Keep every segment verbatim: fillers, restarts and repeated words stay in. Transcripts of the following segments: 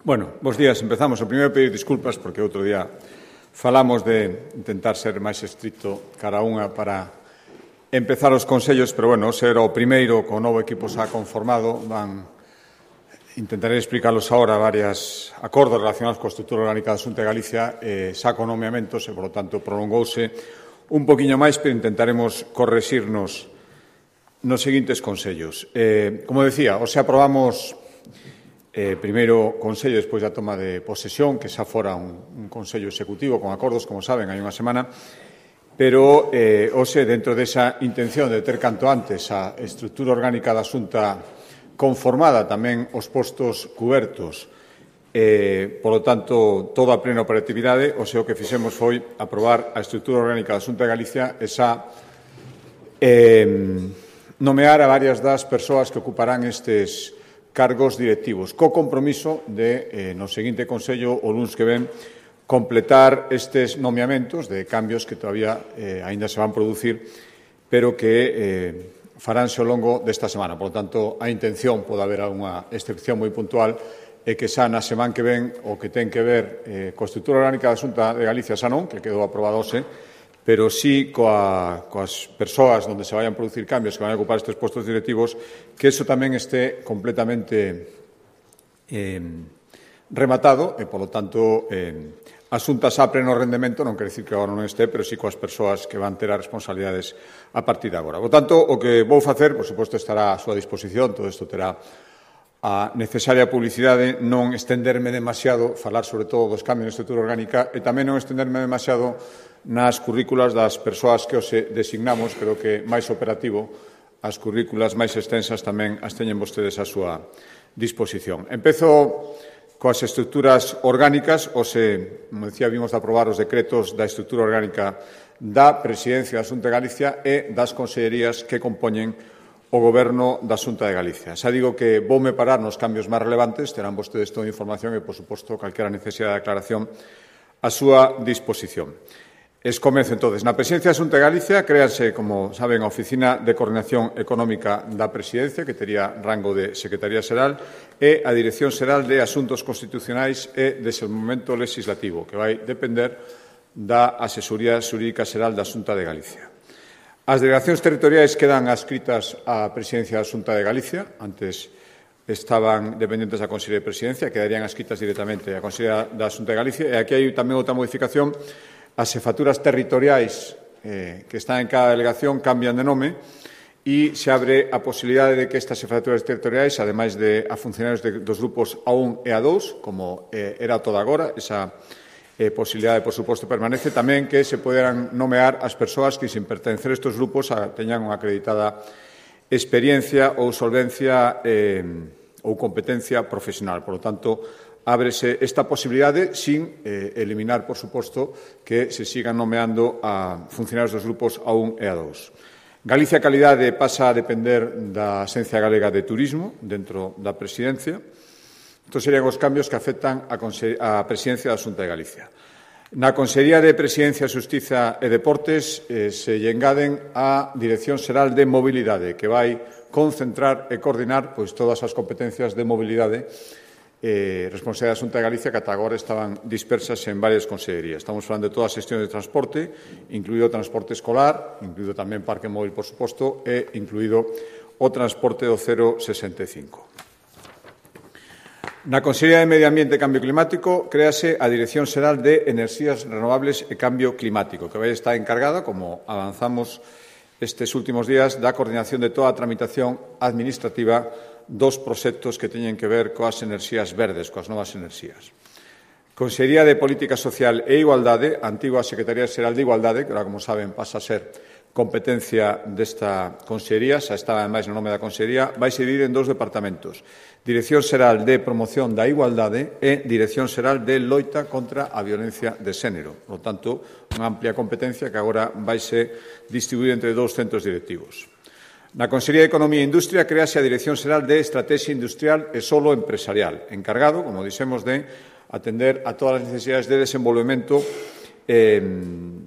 Bueno, bos días. Empezamos. O primeiro pedir disculpas porque outro día falamos de intentar ser máis estricto cara unha para empezar os consellos, pero, bueno, ser o primeiro co novo equipo xa conformado. Van, intentaré explicarlos agora varios acordos relacionados coa estrutura orgánica da Xunta de Galicia, eh, xa con nomeamentos e, por lo tanto, prolongouse un poquinho máis, pero intentaremos correxirnos nos seguintes consellos. Eh, como decía, hoxe aprobamos Eh, primeiro Consello despois da toma de posesión, que xa fora un, un Consello executivo con acordos, como saben, hai unha semana, pero eh, hoxe, dentro desa intención de ter canto antes a estrutura orgánica da Xunta conformada, tamén os postos cubertos, eh, polo tanto, toda a plena operatividade, hoxe o que fixemos foi aprobar a estrutura orgánica da Xunta de Galicia e xa eh, nomear a varias das persoas que ocuparán estes cargos directivos, co compromiso de, eh, no seguinte Consello, o luns que ven, completar estes nomeamentos de cambios que todavía eh, aínda se van producir, pero que eh, faránse ao longo desta semana. Por lo tanto, a intención, pode haber algunha excepción moi puntual, é que xa na semana que ven o que ten que ver eh, coa estrutura orgánica da Xunta de Galicia xa non, que quedou aprobado hoxe, pero sí coa, coas persoas onde se vayan a producir cambios que van a ocupar estes postos directivos, que eso tamén este completamente eh, rematado e, polo tanto, eh, a Xunta xa pleno rendemento, non quere dicir que agora non este, pero sí coas persoas que van ter as responsabilidades a partir de agora. Por tanto, o que vou facer, por suposto, estará a súa disposición, todo isto terá a necesaria publicidade, non estenderme demasiado, falar sobre todo dos cambios na estrutura orgánica e tamén non estenderme demasiado nas currículas das persoas que os designamos. Creo que máis operativo, as currículas máis extensas tamén as teñen vostedes a súa disposición. Empezo coas estruturas orgánicas. Ose, como decía, vimos de aprobar os decretos da estrutura orgánica da Presidencia da Xunta de Galicia e das consellerías que compoñen o Goberno da Xunta de Galicia. Xa digo que voume parar nos cambios máis relevantes, terán vostedes toda a información e, por suposto, calquera necesidade de aclaración a súa disposición. Es comezo, entonces. Na Presidencia da Xunta de Galicia créase, como saben, a Oficina de Coordinación Económica da Presidencia, que tería rango de Secretaría Xeral, e a Dirección Xeral de Asuntos Constitucionais e Desenvolvemento Legislativo, que vai depender da Asesoría Xurídica Xeral da Xunta de Galicia. As delegacións territoriais quedan adscritas á Presidencia da Xunta de Galicia. Antes estaban dependentes da Consellería de Presidencia, quedarían adscritas directamente á Consellería da Xunta de Galicia. E aquí hai tamén outra modificación. As xefaturas territoriais eh, que están en cada delegación cambian de nome e se abre a posibilidade de que estas xefaturas territoriais, ademais de a funcionarios de, dos grupos A un e A dous, como eh, era toda agora, esa eh, posibilidade, por suposto, permanece, tamén que se poderán nomear as persoas que, sin pertencer a estes grupos, a, teñan unha acreditada experiencia ou solvencia eh, ou competencia profesional. Por lo tanto, ábrese esta posibilidade sin eh, eliminar, por suposto, que se sigan nomeando a funcionarios dos grupos A un e A dous. Galicia Calidade pasa a depender da Axencia Galega de Turismo dentro da Presidencia. Estos serían os cambios que afectan a, a Presidencia da Xunta de Galicia. Na Consellería de Presidencia, Xustiza e Deportes eh, se lle engaden a Dirección Xeral de Mobilidade, que vai concentrar e coordinar pois, todas as competencias de mobilidade Eh, responsabilidade da Xunta de Galicia, que ata agora estaban dispersas en varias consellerías. Estamos falando de toda a xestión de transporte, incluído o transporte escolar, incluído tamén parque móvil, por suposto, e incluído o transporte do cero sesenta e cinco. Na Consellería de Medio Ambiente e Cambio Climático créase a Dirección Xeral de Enerxías Renovables e Cambio Climático, que vai estar encargada, como avanzamos estes últimos días, da coordinación de toda a tramitación administrativa dos proxectos que teñen que ver coas enerxías verdes, coas novas enerxías. Consellería de Política Social e Igualdade, a antigua Secretaría Xeral de Igualdade, que agora, como saben, pasa a ser competencia desta consellería, xa estaba máis no nome da consellería, vai se dividir en dous departamentos. Dirección Xeral de Promoción da Igualdade e Dirección Xeral de Loita contra a Violencia de Xénero. Por lo tanto, unha amplia competencia que agora vai ser distribuída entre dous centros directivos. Na Consellería de Economía e Industria créase a Dirección Xeral de Estrategia Industrial e Solo Empresarial, encargado, como dixemos, de atender a todas as necesidades de desenvolvemento eh,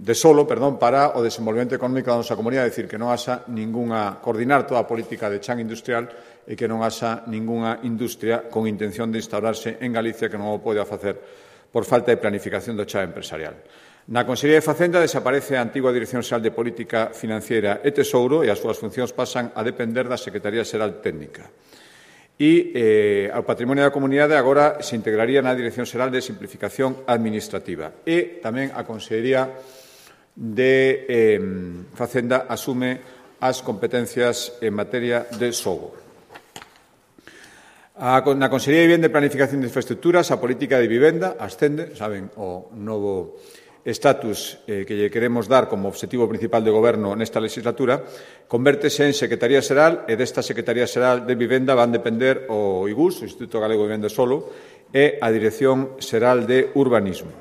de solo, perdón, para o desenvolvemento económico da nosa comunidade, é dicir, que non haxa ningunha, coordinar toda a política de chan industrial e que non haxa ningunha industria con intención de instaurarse en Galicia que non o pode facer por falta de planificación do chan empresarial. Na Consellería de Facenda desaparece a antigua Dirección Xeral de Política Financiera e Tesouro e as súas funcións pasan a depender da Secretaría Xeral Técnica. E eh, ao Patrimonio da Comunidade agora se integraría na Dirección Xeral de Simplificación Administrativa e tamén a Consellería de eh, Facenda asume as competencias en materia de xogo. A, na Consellería de Vivenda e Planificación de Infraestructuras a política de vivenda ascende, saben, o novo estatus eh, que lle queremos dar como obxectivo principal de goberno nesta legislatura, convértese en Secretaría Xeral e desta Secretaría Xeral de Vivenda van depender o I G U S, o Instituto Galego de Vivenda Solo, e a Dirección Xeral de Urbanismo.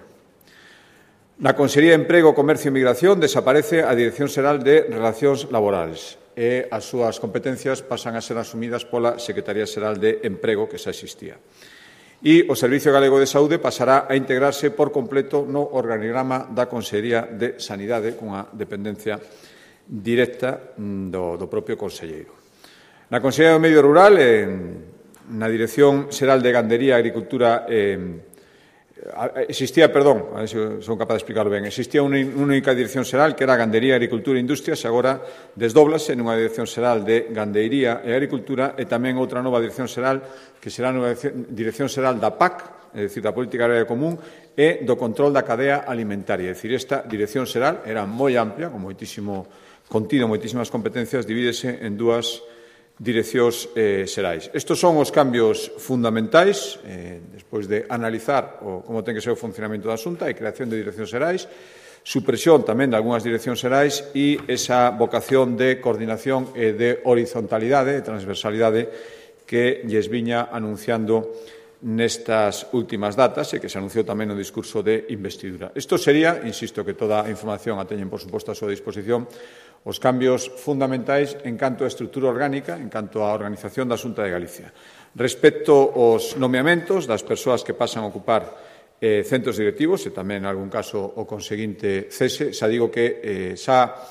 Na Consellería de Emprego, Comercio e Migración desaparece a Dirección Xeral de Relacións Laborales e as súas competencias pasan a ser asumidas pola Secretaría Xeral de Emprego que xa existía. E o Servicio Galego de Saúde pasará a integrarse por completo no organigrama da Consellería de Sanidade, cunha dependencia directa do, do propio conselleiro. Na Consellería do Medio Rural, en, na Dirección Xeral de Gandería, Agricultura e Existía, perdón, a ver se son capaz de explicarlo ben, existía unha única dirección xeral que era Gandería, Agricultura e Industrias e agora desdóblase nunha dirección xeral de Gandeiría e Agricultura e tamén outra nova dirección xeral que será a dirección xeral da P A C, é dicir, da Política Agraria Común e do control da cadea alimentaria. É dicir, esta dirección xeral era moi amplia, con moitísimo contido, moitísimas competencias, divídese en dúas direccións eh, xerais. Estos son os cambios fundamentais, eh, despois de analizar o, como ten que ser o funcionamento da Xunta e creación de direccións xerais, supresión tamén de algunhas direccións xerais e esa vocación de coordinación e de horizontalidade, de transversalidade que lles viña anunciando nestas últimas datas e que se anunciou tamén no discurso de investidura. Isto sería, insisto que toda a información a teñen, por suposto, a súa disposición, os cambios fundamentais en canto a estrutura orgánica, en canto á organización da Xunta de Galicia. Respecto aos nomeamentos das persoas que pasan a ocupar eh, centros directivos e tamén, en algún caso, o conseguinte cese, xa digo que eh, xa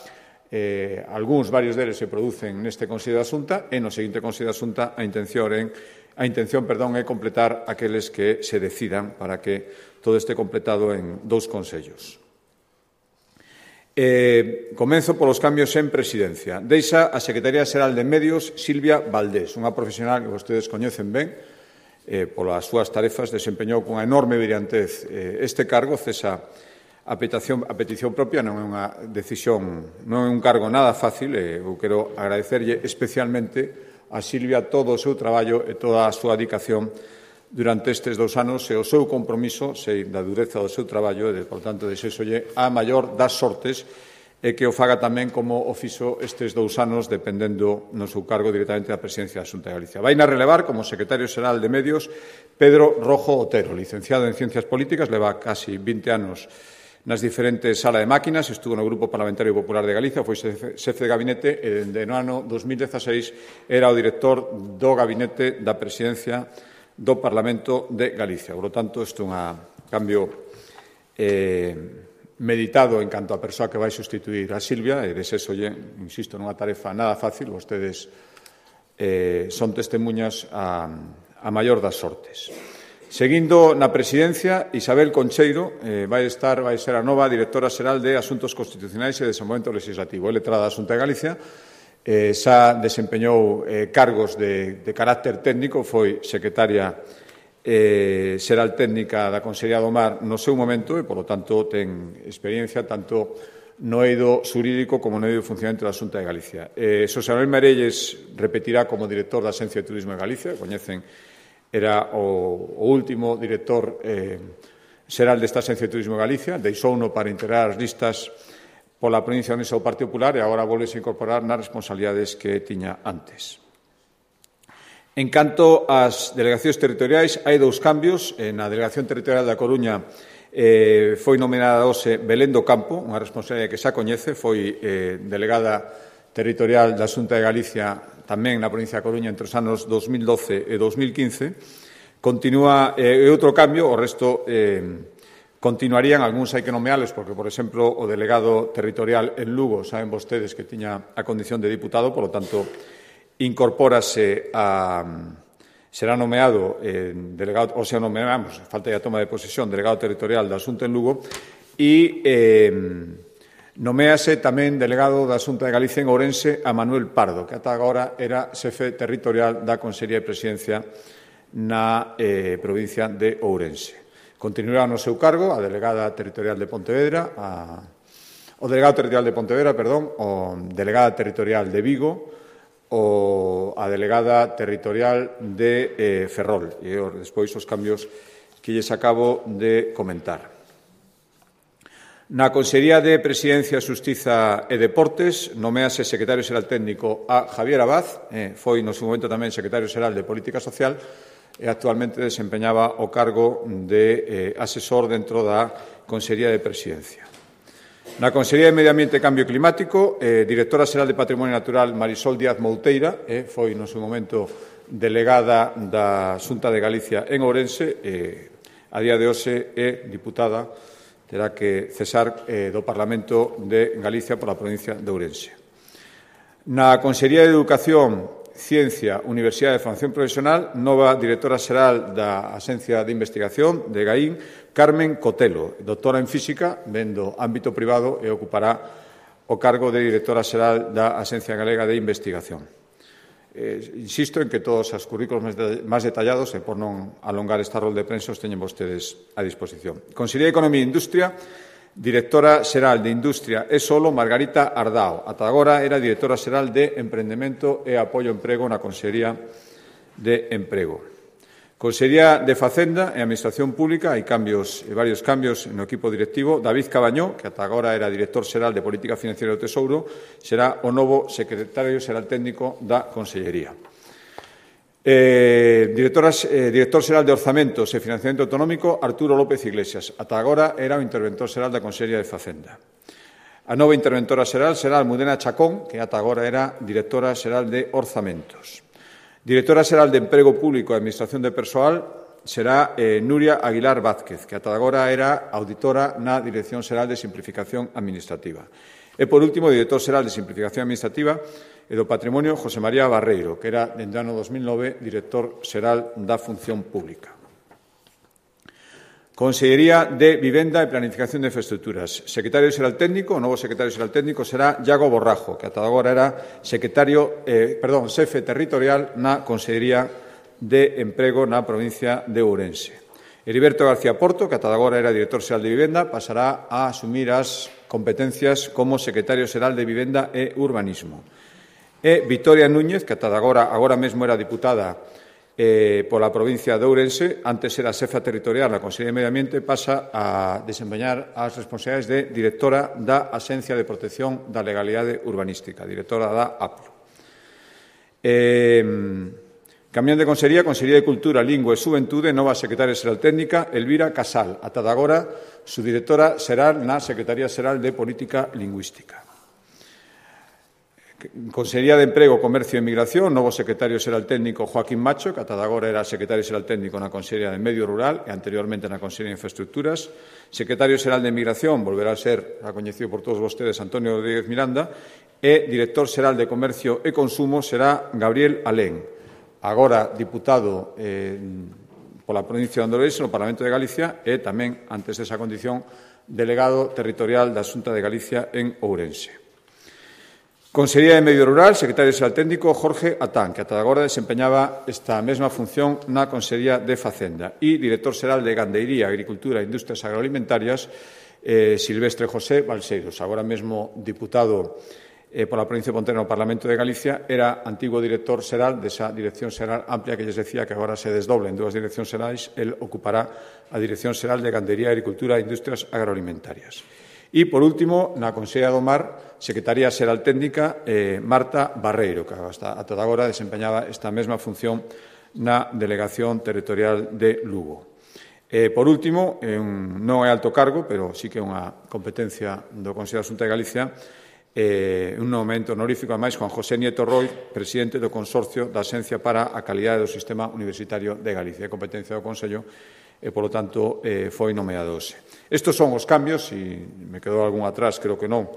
eh, algúns, varios deles se producen neste Consello da Xunta e no seguinte Consello da Xunta a intención, en, a intención perdón, é completar aqueles que se decidan para que todo este completado en dous consellos. Eh, comenzo polos cambios en presidencia. Deixa a Secretaría Xeral de Medios Silvia Valdés, unha profesional que vostedes coñecen ben, eh, polas súas tarefas, desempeñou con enorme brillantez eh, este cargo, cesa a petición, a petición propia, non é unha decisión, non é un cargo nada fácil, e eu quero agradecerlle especialmente a Silvia todo o seu traballo e toda a súa dedicación durante estes dous anos e o seu compromiso, sei da dureza do seu traballo e, por tanto, desexolle a maior das sortes e que o faga tamén como o fixo estes dous anos dependendo no seu cargo directamente da presidencia da Xunta de Galicia. Vaina relevar como secretario xeral de Medios Pedro Rojo Otero, licenciado en Ciencias Políticas, leva casi vinte anos nas diferentes salas de máquinas, estuvo no Grupo Parlamentario Popular de Galicia, foi xefe de gabinete e, dende o ano dos mil dezaseis, era o director do gabinete da presidencia do Parlamento de Galicia. Por lo tanto, isto é un cambio eh, meditado en canto a persoa que vai sustituir a Silvia e desexolle, insisto, nunha tarefa nada fácil, vostedes eh, son testemunhas a, a maior das sortes. Seguindo na presidencia, Isabel Concheiro eh, vai estar, vai ser a nova directora xeral de Asuntos Constitucionais e Desenvolvemento Legislativo. É letrada da Xunta de Galicia, Eh, xa desempeñou eh, cargos de, de carácter técnico, foi secretaria eh, xeral técnica da Consellería do Mar no seu momento e, polo tanto, ten experiencia tanto no eido xurídico como no eido de funcionamento da Xunta de Galicia. Eh, Xosé Manuel Merelles repetirá como director da Axencia de Turismo de Galicia, coñecen, era o, o último director eh, xeral desta Axencia de Turismo de Galicia, deixouno para integrar as listas pola provincia onde o Partido Popular e agora volvese a incorporar nas responsabilidades que tiña antes. En canto ás delegacións territoriais, hai dous cambios. Na Delegación Territorial da Coruña eh, foi nomeada hoxe Belén do Campo, unha responsabilidade que xa coñece, foi eh, delegada territorial da Xunta de Galicia tamén na provincia da Coruña entre os anos dos mil doce e dos mil quince. Continúa eh, outro cambio, o resto eh, Continuarían, algúns hai que nomeales, porque, por exemplo, o delegado territorial en Lugo, saben vostedes que tiña a condición de diputado, por lo tanto, incorpórase a... será nomeado eh, delegado, ou sea, nomeamos, falta ya toma de posesión, delegado territorial da Xunta en Lugo, e eh, nomease tamén delegado da Xunta de Galicia en Ourense a Manuel Pardo, que ata agora era xefe territorial da Consellería de Presidencia na eh, provincia de Ourense. Continuará no seu cargo a delegada territorial de Pontevedra, a, o delegado territorial de Pontevedra, perdón, o delegada territorial de Vigo, o a delegada territorial de eh, Ferrol. E despois os cambios que lles acabo de comentar. Na Consellería de Presidencia, Xustiza e Deportes nomease secretario xeral técnico a Javier Abad, eh, foi no seu momento tamén secretario xeral de Política Social, e actualmente desempeñaba o cargo de eh, asesor dentro da Consellería de Presidencia. Na Consellería de Medio Ambiente e Cambio Climático, eh, directora xeral de Patrimonio Natural Marisol Díaz Mouteira, eh, foi no seu momento delegada da Xunta de Galicia en Ourense, eh, a día de hoxe é diputada, terá que cesar eh, do Parlamento de Galicia pola provincia de Ourense. Na Consellería de Educación, Ciencia, Universidade de Formación Profesional, nova directora xeral da Axencia de Investigación de Gaín, Carmen Cotelo, doctora en Física, vendo ámbito privado e ocupará o cargo de directora xeral da Axencia Galega de Investigación. Eh, insisto en que todos os currículos máis detallados, e por non alongar esta rol de prensa, os teñen vostedes a disposición. Consellería de Economía e Industria, directora xeral de Industria e Solo, Margarita Ardao. Ata agora era directora xeral de Emprendemento e Apoio ao Emprego na Consellería de Emprego. Consellería de Facenda e Administración Pública, hai cambios, varios cambios no equipo directivo. David Cabañó, que ata agora era director xeral de Política Financiera do Tesouro, será o novo secretario xeral técnico da Consellería. Eh, directora, eh, director xeral de Orzamentos e Financiamento Autonómico, Arturo López Iglesias. Ata agora era o interventor xeral da Consellería de Facenda. A nova interventora xeral será Almudena Chacón, que ata agora era directora xeral de Orzamentos. Directora xeral de Emprego Público e Administración de Persoal será eh, Nuria Aguilar Vázquez, que ata agora era auditora na Dirección Xeral de Simplificación Administrativa. E, por último, director xeral de Simplificación Administrativa e do Patrimonio, José María Barreiro, que era, dende o ano dos mil nove, director xeral da Función Pública. Consellería de Vivenda e Planificación de Infraestructuras. Secretario xeral técnico, o novo secretario xeral técnico será Iago Borrajo, que ata agora era secretario, eh, perdón, xefe territorial na Consellería de Emprego na provincia de Ourense. Heriberto García Porto, que ata agora era director xeral de Vivenda, pasará a asumir as competencias como secretario xeral de Vivenda e Urbanismo. E Victoria Núñez, que ata agora, agora mesmo era diputada eh, pola provincia de Ourense, antes era xefa territorial na Consellería de Medio Ambiente, pasa a desempeñar as responsabilidades de directora da Axencia de Protección da Legalidade Urbanística, directora da A P L U. Eh, Cambiando de Consellería, Consellería de Cultura, Lingua e Xuventude, nova secretaria xeral técnica, Elvira Casal. Ata agora, su directora será na Secretaría Xeral de Política Lingüística. Consellería de Emprego, Comercio e Migración, novo secretario xeral técnico Joaquín Macho, que ata agora era secretario xeral técnico na Consellería de Medio Rural e anteriormente na Consellería de Infraestructuras. Secretario xeral de Migración, volverá a ser, a coñecido por todos vostedes, Antonio Rodríguez Miranda, e director xeral de Comercio e Consumo será Gabriel Alén, agora diputado eh, pola provincia de Ourense no Parlamento de Galicia e tamén, antes desa condición, delegado territorial da Xunta de Galicia en Ourense. Consellería de Medio Rural, secretario xeral técnico Jorge Atán, que ata agora desempeñaba esta mesma función na Consellería de Facenda, e director xeral de Gandeiría, Agricultura e Industrias Agroalimentarias eh, Silvestre José Balseiros, agora mesmo diputado eh, pola provincia de Pontevedra no Parlamento de Galicia, era antigo director xeral desa dirección xeral amplia que lles decía que agora se desdobla en dúas direccións xerais. El ocupará a dirección xeral de Gandeiría, Agricultura e Industrias Agroalimentarias. E, por último, na Consellería do Mar, Secretaría Xeral Técnica, eh, Marta Barreiro, que hasta ata agora desempeñaba esta mesma función na Delegación Territorial de Lugo. Eh, por último, eh, un, non é alto cargo, pero sí que é unha competencia do Consello da Xunta de Galicia, eh, un momento honorífico, ademais, Juan José Nieto Roy, presidente do Consorcio da Xencia para a Calidade do Sistema Universitario de Galicia, é competencia do Consello, e, polo tanto, eh, foi nomeado hoxe. Estes son os cambios, e me quedou algún atrás, creo que non,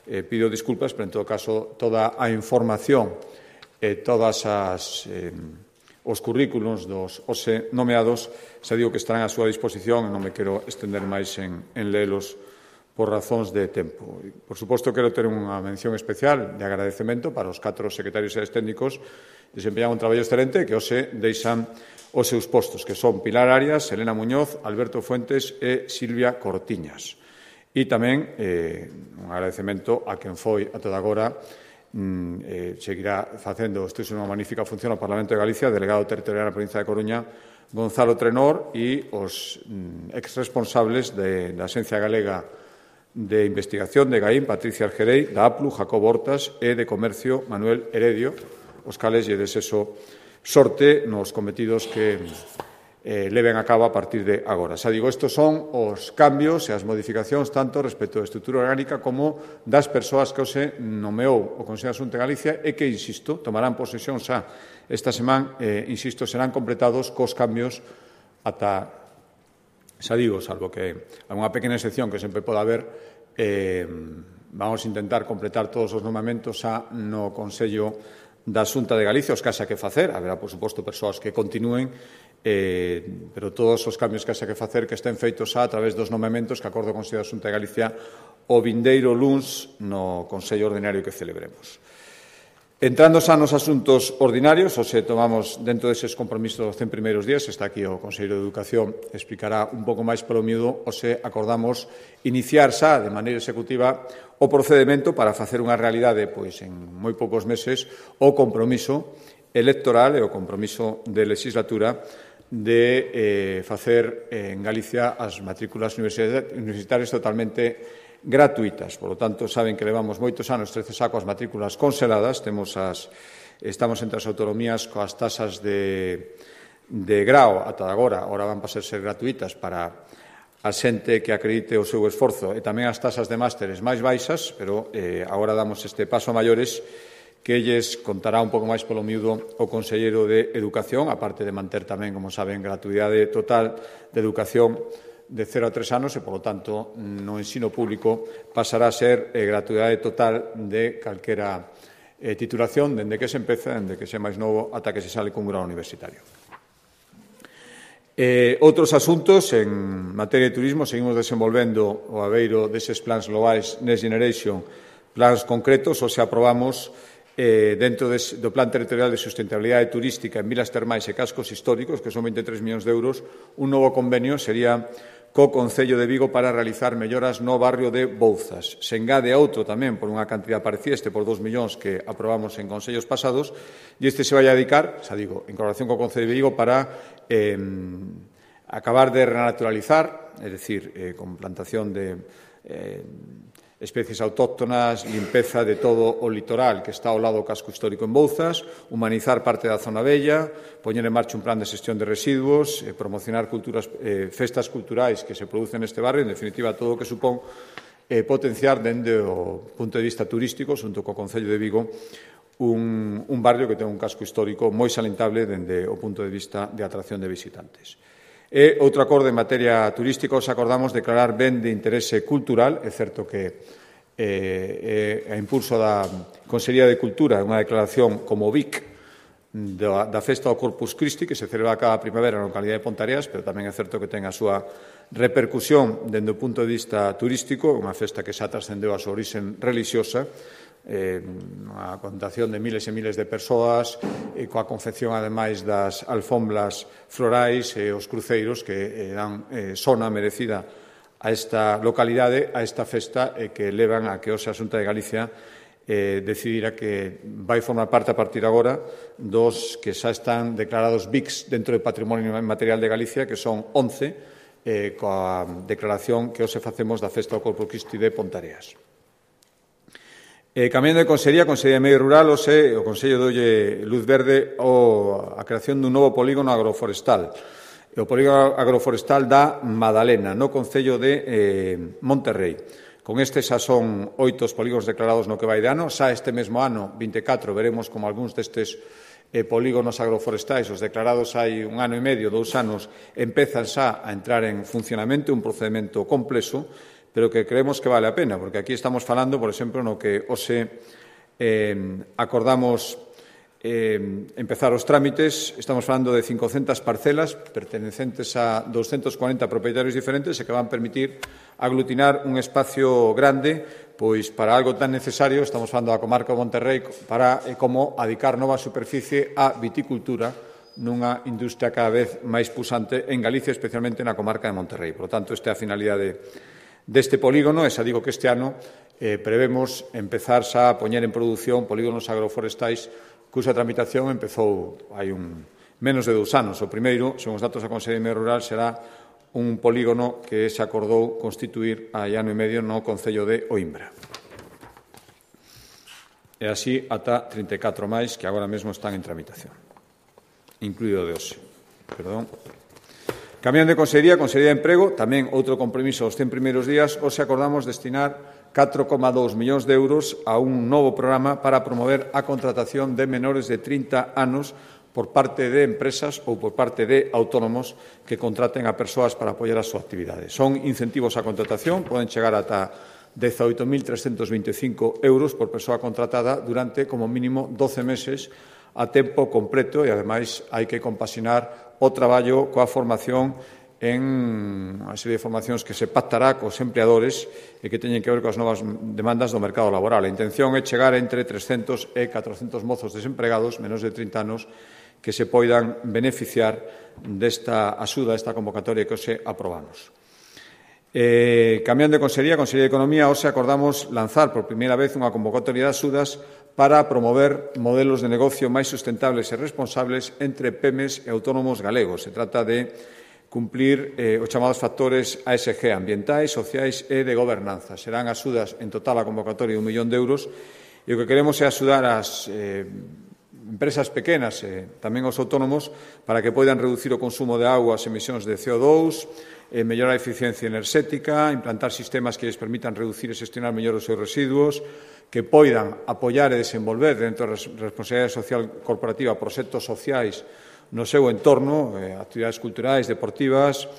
eh, pido disculpas, pero, en todo caso, toda a información e todas as... Eh, os currículos dos hoxe nomeados, xa digo que estarán á súa disposición e non me quero estender máis en, en lelos por razóns de tempo. Por suposto, quero ter unha mención especial de agradecemento para os catro secretarios e técnicos que desempeñan un traballo excelente que hoxe deixan os seus postos, que son Pilar Arias, Elena Muñoz, Alberto Fuentes e Silvia Cortiñas. E tamén eh, un agradecemento a quen foi a toda agora Eh, seguirá facendo isto é unha magnífica función ao Parlamento de Galicia, delegado territorial na provincia de Coruña, Gonzalo Trenor, e os mm, ex-responsables de, da Axencia Galega de Investigación de Gaín, Patricia Argerei, da A P L U, Jacob Hortas, e de Comercio, Manuel Heredio, os cales lle deseso sorte nos cometidos que eh, leven a cabo a partir de agora. Xa digo, estes son os cambios e as modificacións tanto respecto da estrutura orgánica como das persoas que hoxe nomeou o Consello de Xunta de Galicia e que, insisto, tomarán posesión xa esta semana, eh, insisto, serán completados cos cambios ata, xa digo, salvo que unha pequena excepción que sempre poda haber, eh, vamos a intentar completar todos os nomamentos xa no Consello da Xunta de Galicia, os que haxa que facer, haberá, por suposto, persoas que continúen, eh, pero todos os cambios que haxa que facer que estén feitos xa a través dos nomeamentos que acordo o Consello da Xunta de Galicia o vindeiro luns no Consello Ordinario que celebremos. Entrando xa nos asuntos ordinarios, hoxe tomamos dentro deses compromisos dos cen primeiros días, está aquí o Conselleiro de Educación, explicará un pouco máis polo miúdo, hoxe acordamos iniciar xa de maneira executiva o procedimento para facer unha realidade, pois en moi poucos meses, o compromiso electoral e o compromiso de legislatura de eh, facer en Galicia as matrículas universitarias totalmente gratuitas. Por lo tanto, saben que levamos moitos anos, trece xa, coas matrículas congeladas. Temos as, estamos entre as autonomías coas tasas de, de grao ata agora. Agora van pasar a ser gratuitas para a xente que acredite o seu esforzo e tamén as tasas de másteres máis baixas, pero eh, agora damos este paso a maiores que lles contará un pouco máis polo miúdo o Conselleiro de Educación, aparte de manter tamén, como saben, gratuidade total de educación de cero a tres anos e, polo tanto, no ensino público pasará a ser eh, gratuidade total de calquera eh, titulación, dende que se empeza, dende que se é máis novo, ata que se sale cun grado universitario. Eh, outros asuntos, en materia de turismo, seguimos desenvolvendo o aveiro deses plans globais Next Generation, plans concretos, ou se aprobamos Eh, dentro des, do Plan Territorial de Sustentabilidade Turística en Vilas Termais e Cascos Históricos, que son vinte e tres millóns de euros, un novo convenio sería co Concello de Vigo para realizar melloras no barrio de Bouzas. Se engade a outro tamén por unha cantidad parecida, este por dous millóns que aprobamos en consellos pasados, e este se vai a dedicar, xa digo, en colaboración co Concello de Vigo para eh, acabar de renaturalizar, é dicir, eh, con plantación de eh, especies autóctonas, limpeza de todo o litoral que está ao lado do casco histórico en Bouzas, humanizar parte da zona bella, poñer en marcha un plan de xestión de residuos, eh, promocionar culturas, eh, festas culturais que se producen neste barrio, en definitiva, todo o que supón eh, potenciar dende o punto de vista turístico, xunto co Concello de Vigo, un, un barrio que ten un casco histórico moi salentable dende o punto de vista de atracción de visitantes. E outro acordo en materia turística, os acordamos declarar ben de interese cultural. É certo que eh, a impulso da Consellería de Cultura unha declaración como V I C da, da festa do Corpus Christi, que se celebra cada primavera na localidade de Pontareas, pero tamén é certo que ten a súa repercusión dende o punto de vista turístico, unha festa que xa trascendeu a súa orixe religiosa, eh, unha contación de miles e miles de persoas, e coa confección, ademais, das alfombras florais e os cruceiros que eh, dan eh, sona merecida a esta localidade, a esta festa, e que levan a que hoxe a Xunta de Galicia eh, decidira que vai formar parte a partir agora dos que xa están declarados V I Cs dentro do Patrimonio Material de Galicia, que son once, eh, coa declaración que hoxe facemos da festa do Corpus Christi de Pontareas. Eh, cambiando de Consellería, a Consellería de Medio Rural, ose, o Consello dolle luz verde o, a creación dun novo polígono agroforestal. O polígono agroforestal da Madalena, no Concello de eh, Monterrey, Con este xa son oito os polígonos declarados no que vai de ano. Xa este mesmo ano, vinte e catro, veremos como algúns destes eh, polígonos agroforestais, os declarados hai un ano e medio, dous anos, empezan xa a entrar en funcionamento, un procedimento complexo, pero que creemos que vale a pena, porque aquí estamos falando, por exemplo, no que hoxe eh, acordamos eh, empezar os trámites. Estamos falando de cincocentas parcelas pertenecentes a doscientos cuarenta propietarios diferentes e que van permitir aglutinar un espacio grande pois para algo tan necesario. Estamos falando da comarca de Monterrei para eh, como adicar nova superficie á viticultura nunha industria cada vez máis pusante en Galicia, especialmente na comarca de Monterrei. Por lo tanto, esta é a finalidade deste polígono. E xa digo que este ano eh, prevemos empezar xa a poñer en produción polígonos agroforestais cuxa tramitación empezou hai un menos de dous anos. O primeiro, según os datos da Consellería de Medio Rural, será un polígono que se acordou constituir hai ano e medio no Concello de Oimbra. E así ata trinta e catro máis que agora mesmo están en tramitación, incluído de hoxe. Perdón. Cambiando de Consellería, Consellería de Emprego, tamén outro compromiso os cen primeiros días. Hoxe acordamos destinar catro coma dous millóns de euros a un novo programa para promover a contratación de menores de trinta anos por parte de empresas ou por parte de autónomos que contraten a persoas para apoiar a súa actividade. Son incentivos á contratación, poden chegar ata dezaoito mil trescentos vinte e cinco euros por persoa contratada durante, como mínimo, doce meses a tempo completo e, ademais, hai que compaxinar o traballo coa formación en unha serie de formacións que se pactará cos empleadores e que teñen que ver coas novas demandas do mercado laboral. A intención é chegar entre trescentos e catrocentos mozos desempregados, menos de trinta anos, que se poidan beneficiar desta axuda, desta convocatoria que hoxe aprobamos. Eh, cambiando de Consellería, Consellería de Economía, hoxe acordamos lanzar por primeira vez unha convocatoria de axudas para promover modelos de negocio máis sustentables e responsables entre pemes e autónomos galegos. Se trata de cumplir eh, os chamados factores A S G, ambientais, sociais e de gobernanza. Serán axudas en total a convocatoria de un millón de euros e o que queremos é axudar as eh, empresas pequenas e tamén os autónomos para que poidan reducir o consumo de auga, as emisións de C O dous, eh, mellorar a eficiencia enerxética, implantar sistemas que lles permitan reducir e xestionar mellor os seus residuos, que poidan apoiar e desenvolver dentro da responsabilidade social corporativa proxectos sociais no seu entorno, eh, actividades culturais, deportivas,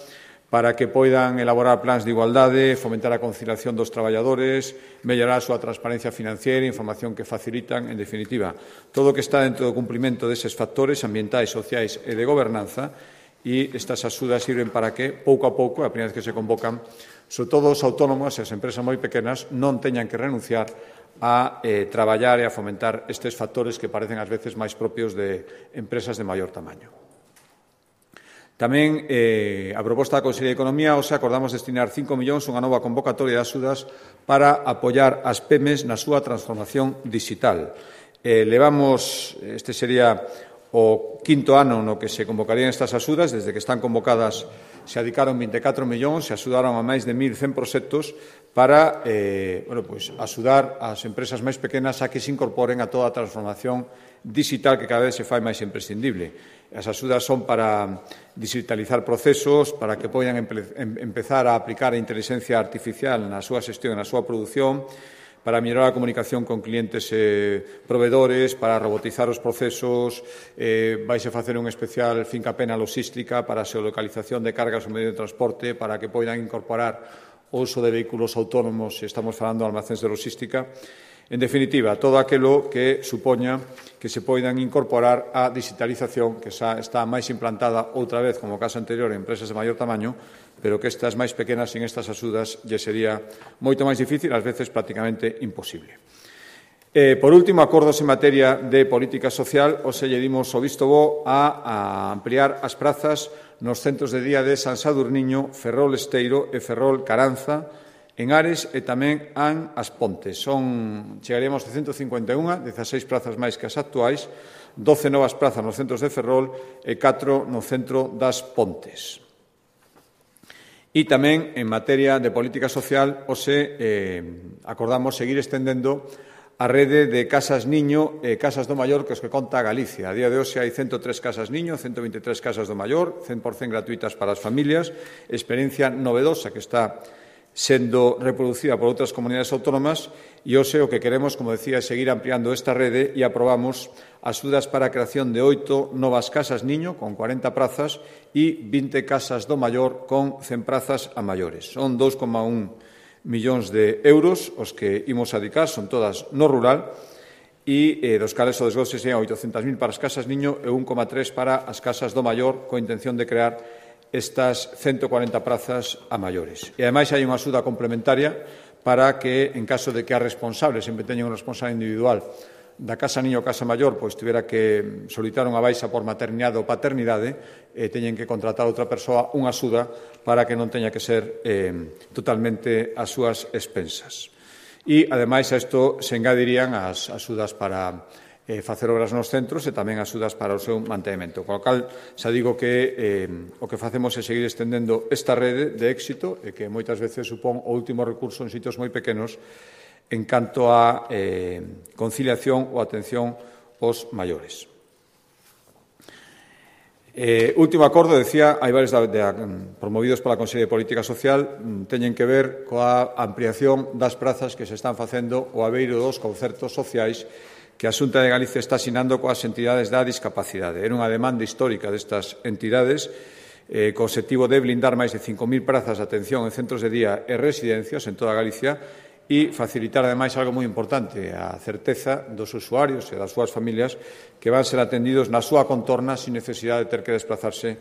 para que poidan elaborar plans de igualdade, fomentar a conciliación dos traballadores, mellorar a súa transparencia financiera, información que facilitan, en definitiva, todo o que está dentro do cumprimento deses factores ambientais, sociais e de gobernanza. E estas axudas sirven para que, pouco a pouco, a primeira vez que se convocan, sobre todo os autónomos e as empresas moi pequenas non teñan que renunciar a eh, traballar e a fomentar estes factores que parecen ás veces máis propios de empresas de maior tamaño. Tamén, eh, a proposta da Consellería de Economía, hoxe acordamos destinar cinco millóns a unha nova convocatoria de axudas para apoiar as pemes na súa transformación digital. Eh, levamos, este sería o quinto ano no que se convocarían estas axudas. Desde que están convocadas se adicaron vinte e catro millóns, se axudaron a máis de mil cen proxectos para eh, bueno, pues, axudar as empresas máis pequenas a que se incorporen a toda a transformación digital que cada vez se fai máis imprescindible. As axudas son para digitalizar procesos, para que poidan empezar a aplicar a inteligencia artificial na súa xestión e na súa produción, para mellorar a comunicación con clientes e provedores, para robotizar os procesos, eh, vaise facer un especial fincapé na logística para a xeolocalización de cargas no medio de transporte, para que poidan incorporar o uso de vehículos autónomos, se estamos falando de almacéns de logística. En definitiva, todo aquilo que supoña que se poidan incorporar a digitalización, que xa está máis implantada outra vez, como o caso anterior, en empresas de maior tamaño, pero que estas máis pequenas, sin estas axudas, lle sería moito máis difícil, ás veces prácticamente imposible. Eh, por último, acordos en materia de política social. Hoxe lle dimos o visto bo a, a ampliar as prazas nos centros de día de San Sadurniño, Ferrol Esteiro e Ferrol Caranza, en Ares e tamén en As Pontes. Son, chegaríamos a ciento cincuenta e un, dezaseis prazas máis que as actuais, doce novas prazas nos centros de Ferrol e catro no centro das Pontes. E tamén, en materia de política social, hoxe eh, acordamos seguir estendendo a rede de casas niño e casas do maior que os que conta Galicia. A día de hoxe hai ciento tres casas niño, ciento vinte e tres casas do maior, cen por cen gratuitas para as familias, experiencia novedosa que está sendo reproducida por outras comunidades autónomas e hoxe o que queremos, como decía, é seguir ampliando esta rede e aprobamos axudas para a creación de oito novas casas niño con cuarenta prazas e vinte casas do maior con cen prazas a maiores. Son dous coma un millóns de euros os que imos a dedicar, son todas no rural, e eh, dos cales o desgoce sean oitocentas mil para as casas niño e un coma tres para as casas do maior, coa intención de crear estas ciento cuarenta prazas a maiores. E, ademais, hai unha axuda complementaria para que, en caso de que a responsable sempre teña un responsable individual da casa niño ou casa maior, pois tivera que solicitar unha baixa por maternidade ou paternidade, eh, teñen que contratar a outra persoa unha axuda para que non teña que ser eh, totalmente as súas expensas. E, ademais, a isto se engadirían as axudas para eh, facer obras nos centros e tamén axudas para o seu mantenimento. Con o cal, xa digo que eh, o que facemos é seguir estendendo esta rede de éxito e que moitas veces supón o último recurso en sitios moi pequenos en canto a eh, conciliación ou atención aos maiores. Eh, último acordo, decía, hai varios de, de, promovidos pola Consellería de Política Social, teñen que ver coa ampliación das prazas que se están facendo o abeiro dos concertos sociais que a Xunta de Galicia está asinando coas entidades da discapacidade. Era unha demanda histórica destas entidades eh, co objetivo de blindar máis de cinco mil prazas de atención en centros de día e residencias en toda Galicia e facilitar, ademais, algo moi importante, a certeza dos usuarios e das súas familias que van ser atendidos na súa contorna sin necesidade de ter que desplazarse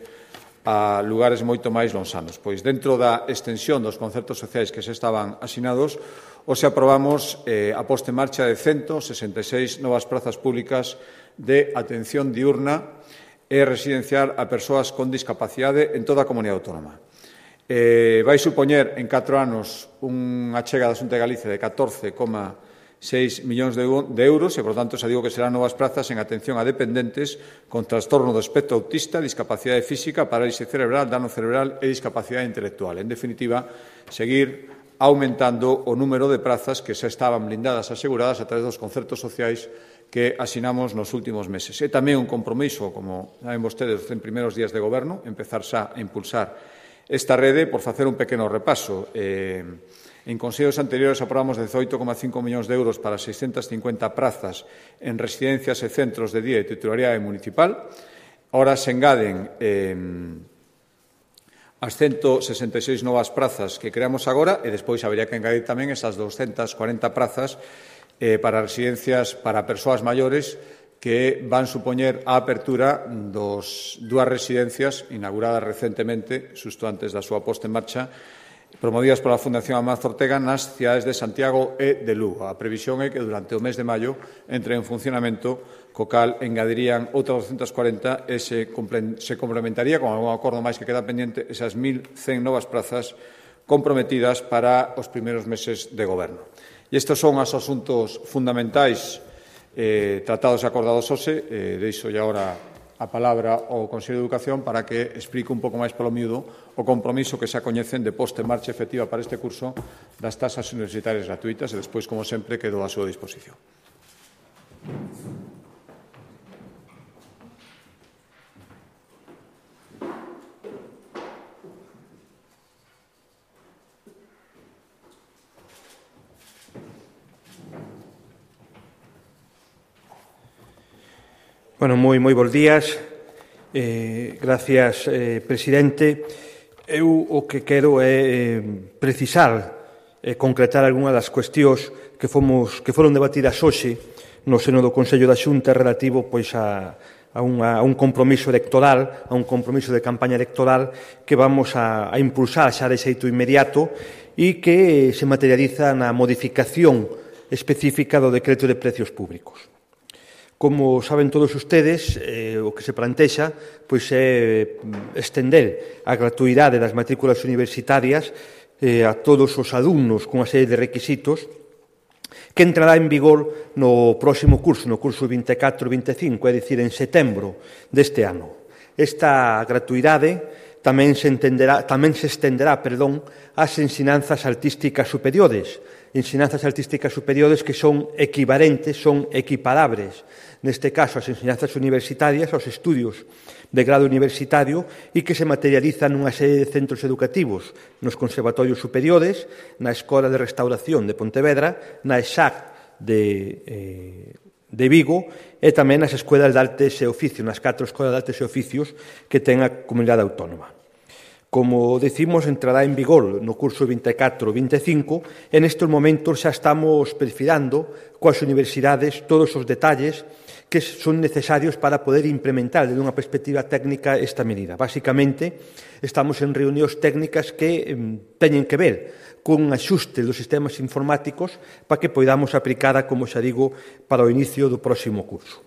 a lugares moito máis lonxanos. Pois, dentro da extensión dos concertos sociais que se estaban asinados, hoxe aprobamos eh, a posta en marcha de ciento sesenta e seis novas prazas públicas de atención diurna e residencial a persoas con discapacidade en toda a comunidade autónoma. Eh, vai supoñer en catro anos unha achega da Xunta de Galicia de catorce coma seis millóns de, de euros e, por tanto, xa digo que serán novas prazas en atención a dependentes con trastorno do espectro autista, discapacidade física, parálise cerebral, dano cerebral e discapacidade intelectual. En definitiva, seguir aumentando o número de prazas que xa estaban blindadas e aseguradas a través dos concertos sociais que asinamos nos últimos meses. E tamén un compromiso, como saben vostedes, en primeiros días de goberno, empezar xa a impulsar esta rede, por facer un pequeno repaso. Eh, en consellos anteriores aprobamos dezoito coma cinco millóns de euros para seiscentas cincuenta prazas en residencias e centros de día de titularidade municipal. Ahora se engaden eh, as ciento sesenta e seis novas prazas que creamos agora e despois habería que engadir tamén esas doscientas cuarenta prazas eh, para residencias para persoas maiores que van supoñer a apertura dos dúas residencias inauguradas recentemente, xusto antes da súa posta en marcha, promovidas pola Fundación Amancio Ortega nas cidades de Santiago e de Lugo. A previsión é que durante o mes de maio entre en funcionamento, co cal engadirían outras doscientas cuarenta e se, se complementaría con algún acordo máis que queda pendiente esas mil cen novas prazas comprometidas para os primeiros meses de goberno. E estes son os asuntos fundamentais Eh, tratados e acordados hoxe. Eh, deixo ya ahora a palabra ao Consello de Educación para que explique un pouco máis polo miúdo o compromiso que xa coñecen de posta en marcha efectiva para este curso das tasas universitarias gratuitas e despois, como sempre, quedo a súa disposición. Bueno, moi, moi bons días. Eh, gracias, eh, presidente. Eu o que quero é eh, precisar e eh, concretar algunha das cuestións que, fomos, que foron debatidas hoxe no seno do Consello da Xunta relativo pois, a, a, unha, a un compromiso electoral, a un compromiso de campaña electoral que vamos a, a impulsar xa de xeito inmediato e que se materializa na modificación específica do decreto de precios públicos. Como saben todos ustedes, eh, o que se plantexa pois, é estender a gratuidade das matrículas universitarias eh, a todos os alumnos cunha serie de requisitos que entrará en vigor no próximo curso, no curso vinte e catro vinte e cinco, é dicir, en setembro deste ano. Esta gratuidade tamén se, entenderá, tamén se estenderá perdón, ás ensinanzas artísticas superiores, ensinanzas artísticas superiores que son equivalentes, son equiparables, neste caso as ensinanzas universitarias, aos estudios de grado universitario e que se materializan nunha serie de centros educativos nos conservatorios superiores, na Escola de Restauración de Pontevedra, na E S A C de, eh, de Vigo e tamén nas Escolas de Artes e Oficios, nas catro Escolas de Artes e Oficios que ten a Comunidade Autónoma. Como decimos, entrará en vigor no curso vinte e catro vinte e cinco e nestes momentos xa estamos perfilando coas universidades todos os detalles que son necesarios para poder implementar desde unha perspectiva técnica esta medida. Básicamente, estamos en reunións técnicas que eh, teñen que ver con axuste dos sistemas informáticos para que poidamos aplicada, como xa digo, para o inicio do próximo curso.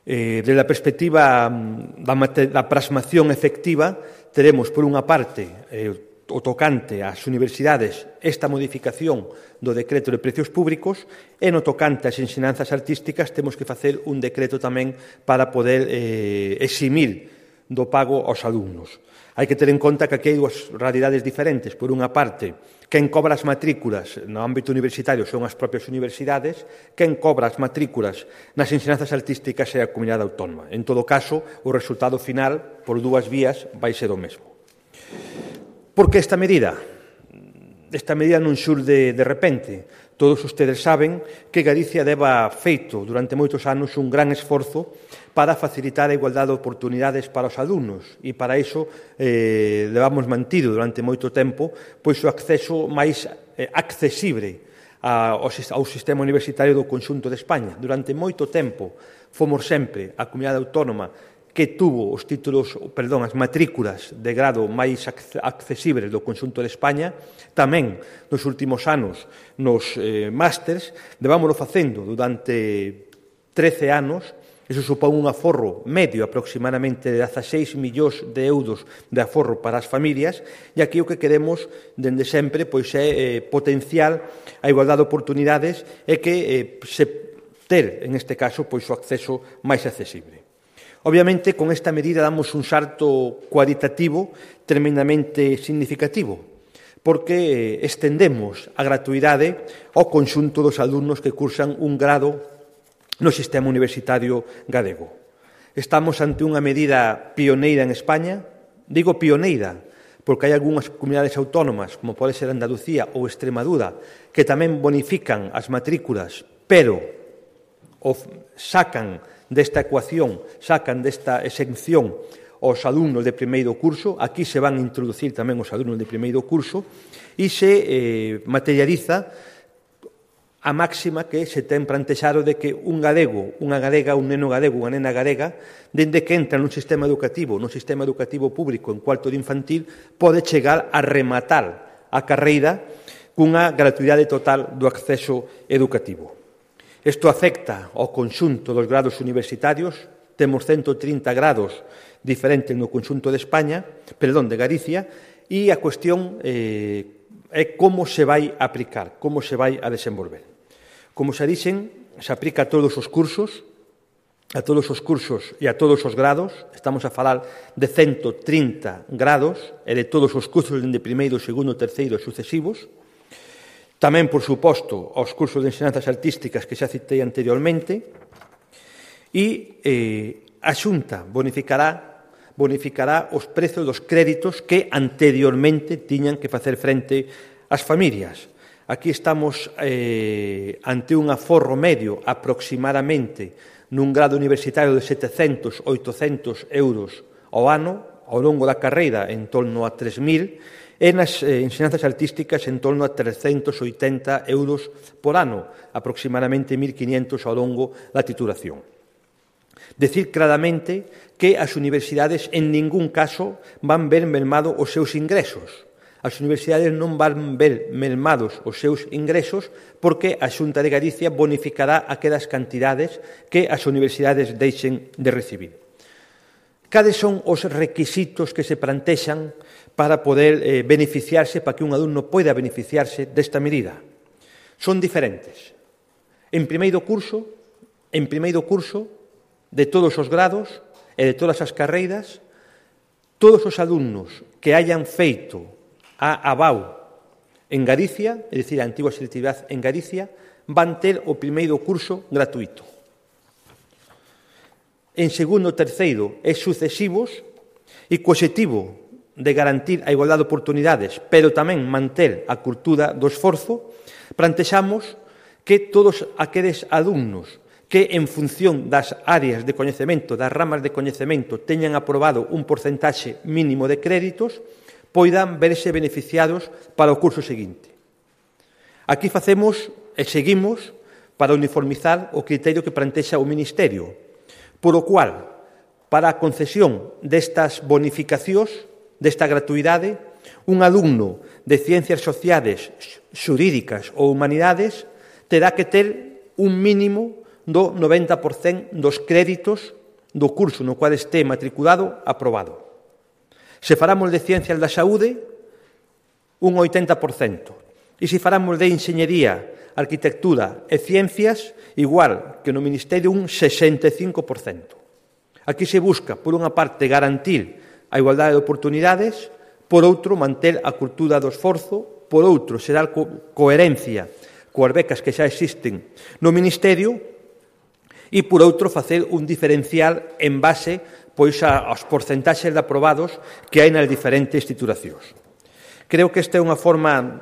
Eh, desde a perspectiva da, da plasmación efectiva, teremos, por unha parte, eh, o tocante ás universidades esta modificación do decreto de precios públicos e no tocante ás ensinanzas artísticas temos que facer un decreto tamén para poder eh, eximir do pago aos alumnos. Hai que ter en conta que aquí hai dúas realidades diferentes. Por unha parte, quen cobra as matrículas no ámbito universitario son as propias universidades, quen cobra as matrículas nas ensinanzas artísticas é a Comunidade Autónoma. En todo caso, o resultado final, por dúas vías, vai ser o mesmo. Por que esta medida? Esta medida non xurde de repente. Todos ustedes saben que Galicia leva feito durante moitos anos un gran esforzo para facilitar a igualdade de oportunidades para os alumnos e para iso eh, levamos mantido durante moito tempo pois o acceso máis eh, accesible a, ao, ao sistema universitario do conxunto de España. Durante moito tempo fomos sempre a Comunidade Autónoma que tuvo os títulos, perdón, as matrículas de grado máis accesibles do conxunto de España. Tamén nos últimos anos nos eh, másters levámoslo facendo durante trece anos. Iso supón un aforro medio aproximadamente de dezaseis millóns de euros de aforro para as familias e aquí o que queremos dende sempre pois é eh, potenciar a igualdade de oportunidades e que eh, se ter, en este caso, pois o acceso máis accesible. Obviamente, con esta medida damos un salto cualitativo tremendamente significativo, porque estendemos a gratuidade ao conxunto dos alumnos que cursan un grado no sistema universitario galego. Estamos ante unha medida pioneira en España. Digo pioneira porque hai algunhas comunidades autónomas, como pode ser Andalucía ou Extremadura, que tamén bonifican as matrículas, pero sacan desta ecuación, sacan desta exención os alumnos de primeiro curso. Aquí se van a introducir tamén os alumnos de primeiro curso e se eh, materializa a máxima que se ten plantexado de que un galego, unha galega, un neno galego, unha nena galega, dende que entra nun sistema educativo, nun sistema educativo público en cuarto de infantil, pode chegar a rematar a carreira cunha gratuidade total do acceso educativo. Isto afecta ao conxunto dos grados universitarios. Temos ciento trinta grados diferentes no conxunto de España, perdón, de Galicia, e a cuestión eh, é como se vai aplicar, como se vai a desenvolver. Como se dixen, se aplica a todos os cursos, a todos os cursos e a todos os grados. Estamos a falar de ciento trinta grados e de todos os cursos de primeiro, segundo, terceiro e sucesivos. Tamén, por suposto, aos cursos de ensinanzas artísticas que xa citei anteriormente, e eh, a Xunta bonificará, bonificará os prezos dos créditos que anteriormente tiñan que facer frente ás familias. Aquí estamos eh, ante un aforro medio aproximadamente nun grado universitario de setecentos, oitocentos euros ao ano, ao longo da carreira en torno a tres mil, e nas eh, ensinanzas artísticas en torno a trescentos oitenta euros por ano, aproximadamente mil quinientos ao longo da titulación. Decir claramente que as universidades en ningún caso van ver mermado os seus ingresos. As universidades non van ver mermados os seus ingresos porque a Xunta de Galicia bonificará aquelas cantidades que as universidades deixen de recibir. Cales son os requisitos que se plantexan para poder eh, beneficiarse, para que un alumno poida beneficiarse desta medida? Son diferentes. En primeiro curso, en primeiro curso, de todos os grados e de todas as carreiras, todos os alumnos que hayan feito a ABAU en Galicia, é dicir, a antigua selectividade en Galicia, van ter o primeiro curso gratuito. En segundo, terceiro e sucesivos, e co obxectivo de garantir a igualdade de oportunidades, pero tamén manter a cultura do esforzo, plantexamos que todos aqueles alumnos que en función das áreas de coñecemento, das ramas de coñecemento, teñan aprobado un porcentaxe mínimo de créditos, poidan verse beneficiados para o curso seguinte. Aquí facemos e seguimos para uniformizar o criterio que plantexa o Ministerio, por o cual, para a concesión destas bonificacións, desta gratuidade, un alumno de Ciencias Sociales, Xurídicas ou Humanidades terá que ter un mínimo do noventa por cento dos créditos do curso no cual este matriculado aprobado. Se faramos de Ciencias da Saúde, un oitenta por cento. E se faramos de Enxeñería, Arquitectura e Ciencias, igual que no Ministerio, un sesenta e cinco por cento. Aquí se busca, por unha parte, garantir a igualdade de oportunidades, por outro, manter a cultura do esforzo, por outro, xerar co coherencia coas becas que xa existen no Ministerio e, por outro, facer un diferencial en base pois, aos porcentaxes de aprobados que hai nas diferentes titulacións. Creo que esta é unha forma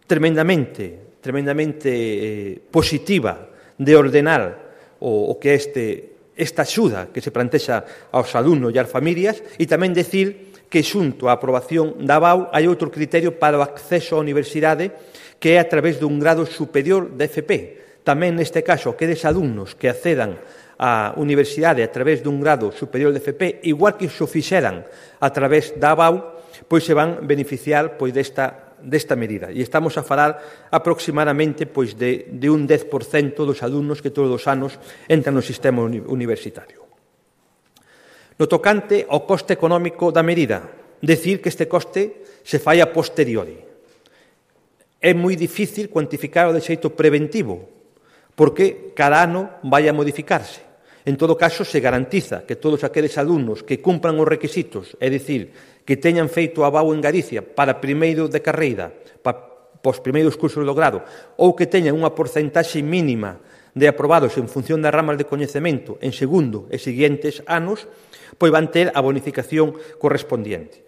tremendamente, tremendamente eh, positiva de ordenar o, o que este esta axuda que se plantexa aos alumnos e ás familias, e tamén decir que xunto á aprobación da A B A U hai outro criterio para o acceso á universidade que é a través dun grado superior de F P. Tamén neste caso, aqueles alumnos que accedan á universidade a través dun grado superior de F P, igual que xo fixeran a través da A B A U, pois se van beneficiar pois desta desta medida. E estamos a falar aproximadamente pois, de, de un dez por cento dos alumnos que todos os anos entran no sistema uni universitario. No tocante ao coste económico da medida, decir que este coste se fai a posteriori. É moi difícil cuantificar o de xeito preventivo, porque cada ano vai a modificarse. En todo caso, se garantiza que todos aqueles alumnos que cumpran os requisitos, é dicir, que teñan feito a B A U en Galicia para primeiro de carreira, para os primeiros cursos do grado, ou que teñan unha porcentaxe mínima de aprobados en función das ramas de coñecemento en segundo e seguintes anos, pois van ter a bonificación correspondiente.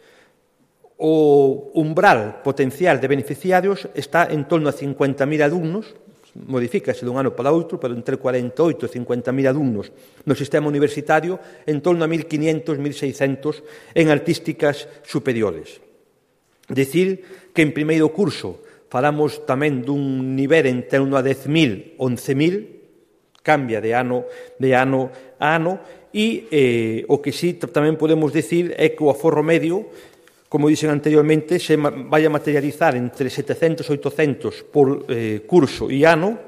O umbral potencial de beneficiarios está en torno a cincuenta mil alumnos, modifícase dun ano para outro, pero entre cuarenta e oito e cincuenta mil alumnos no sistema universitario, en torno a mil quinientos, mil seiscentos en artísticas superiores. Decir que en primeiro curso falamos tamén dun nivel en torno a dez mil, once mil, cambia de ano, de ano a ano, e eh, o que sí tamén podemos decir é que o aforro medio, como dixen anteriormente, se vai a materializar entre setecentos e oitocentos por eh, curso e ano,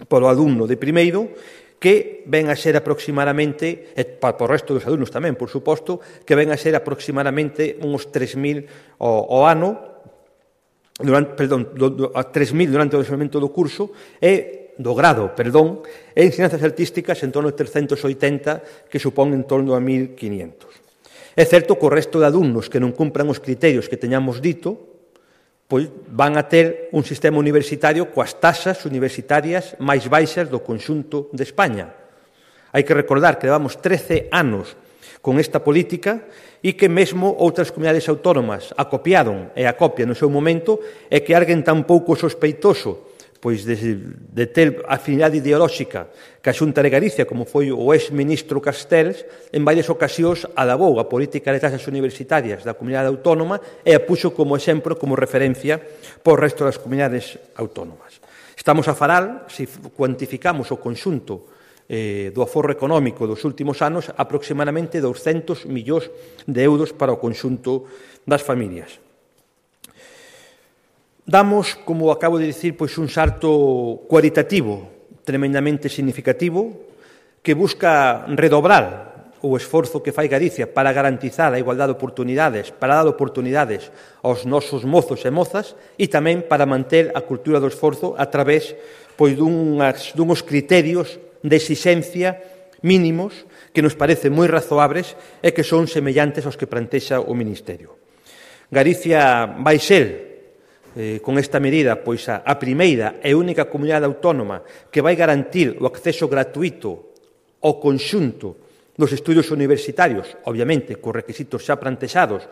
por o alumno de primeiro, que ven a ser aproximadamente, e para o resto dos alumnos tamén, por suposto, que ven a ser aproximadamente uns tres mil ao, ao ano, durante, perdón, do, do, a tres mil durante o desenvolvemento do curso, e do grado, perdón, e ensinanzas artísticas en torno a trescentos oitenta, que supón en torno a mil quinientos. É certo que o resto de alumnos que non cumpran os criterios que teñamos dito, pois van a ter un sistema universitario coas taxas universitarias máis baixas do conxunto de España. Hai que recordar que levamos trece anos con esta política e que mesmo outras comunidades autónomas a copiaron e a copian no seu momento, e que alguén tan pouco sospeitoso pois de, de ter afinidade ideolóxica que a Xunta de Galicia, como foi o ex-ministro Castells, en varias ocasións alabou a política de taxas universitarias da comunidade autónoma e a puxo como exemplo, como referencia por o resto das comunidades autónomas. Estamos a falar, se cuantificamos o conxunto eh, do aforro económico dos últimos anos, aproximadamente douscentos millóns de euros para o conxunto das familias. Damos, como acabo de dicir, pois un salto cualitativo tremendamente significativo que busca redobrar o esforzo que fai Galicia para garantizar a igualdade de oportunidades, para dar oportunidades aos nosos mozos e mozas, e tamén para manter a cultura do esforzo a través pois, dunhas, dunhos criterios de exixencia mínimos que nos parecen moi razoables e que son semellantes aos que plantexa o Ministerio. Galicia vai ser eh, con esta medida, pois a, a primeira e única comunidade autónoma que vai garantir o acceso gratuito ao conxunto dos estudios universitarios, obviamente, cos requisitos xa plantexados,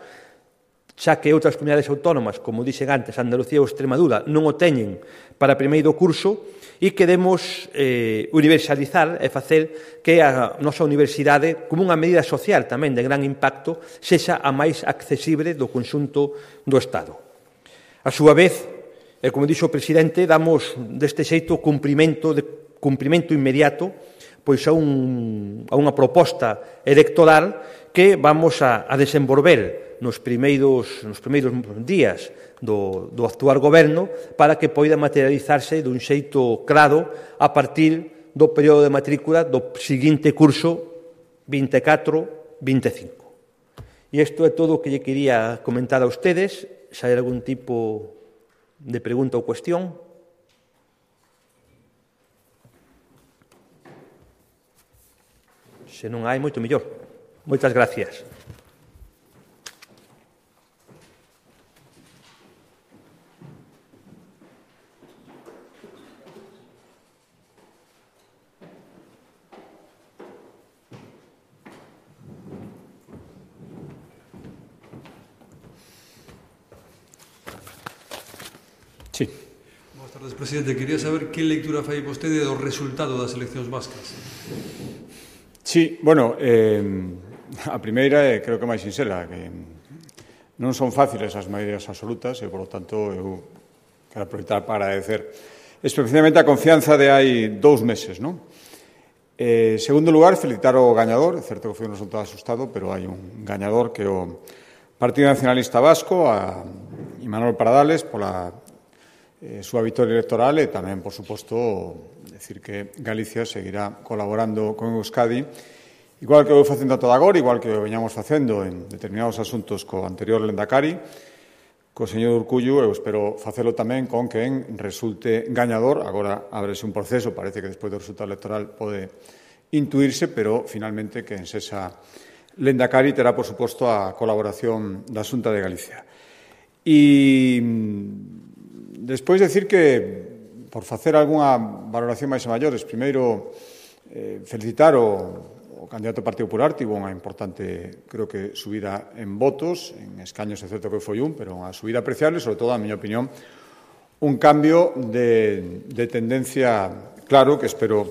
xa que outras comunidades autónomas, como dixen antes, Andalucía ou Extremadura, non o teñen para primeiro curso, e queremos eh, universalizar e facer que a nosa universidade, como unha medida social tamén de gran impacto, sexa a máis accesible do conxunto do Estado. A súa vez, e como dixo o presidente, damos deste xeito cumprimento, de, cumprimento inmediato pois a, un, a unha proposta electoral que vamos a, a desenvolver nos primeiros, nos primeiros días do, do actual goberno para que poida materializarse dun xeito claro a partir do período de matrícula do seguinte curso vinte e catro vinte e cinco. E isto é todo o que lle quería comentar a ustedes. Se hai algún tipo de pregunta ou cuestión. Se non hai, moito mellor. Moitas gracias. Sí. Boas tardes, presidente. Quería saber que lectura fai vostede do resultado das eleccións vascas. Sí, bueno, eh, a primeira é, creo que máis sinxela, que non son fáciles as maiorías absolutas e, por lo tanto, eu quero aproveitar para agradecer especialmente a confianza de hai dous meses, non? Eh, segundo lugar, felicitar o gañador. É certo que foi un resultado asustado, pero hai un gañador que é o Partido Nacionalista Vasco, a Imanol Pradales, pola eh, súa victoria electoral e tamén, por suposto, decir que Galicia seguirá colaborando con Euskadi, igual que o facendo a toda agora, igual que o veñamos facendo en determinados asuntos co anterior Lendakari, co señor Urcullu, eu espero facelo tamén con quen resulte gañador. Agora ábrese un proceso, parece que despois do resultado electoral pode intuirse, pero finalmente quen sexa Lendakari terá, por suposto, a colaboración da Xunta de Galicia. E despois decir que, por facer algunha valoración máis a maiores, primeiro eh, felicitar o, o candidato do Partido Popular, tivo unha importante, creo que, subida en votos, en escaños, é certo que foi un, pero unha subida apreciable, sobre todo, a miña opinión, un cambio de, de tendencia claro que espero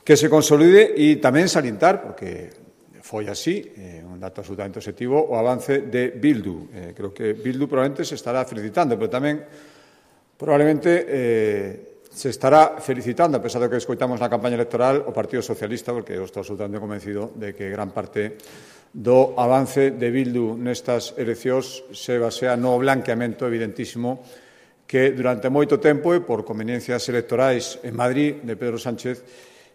que se consolide e tamén salientar, porque foi así, eh, un dato absolutamente objetivo, o avance de Bildu. Eh, creo que Bildu probablemente se estará felicitando, pero tamén probablemente eh, se estará felicitando, a pesar de que escoitamos na campaña electoral, o Partido Socialista, porque eu estou absolutamente convencido de que gran parte do avance de Bildu nestas eleccións se basea no blanqueamento evidentísimo que durante moito tempo e por conveniencias electorais en Madrid de Pedro Sánchez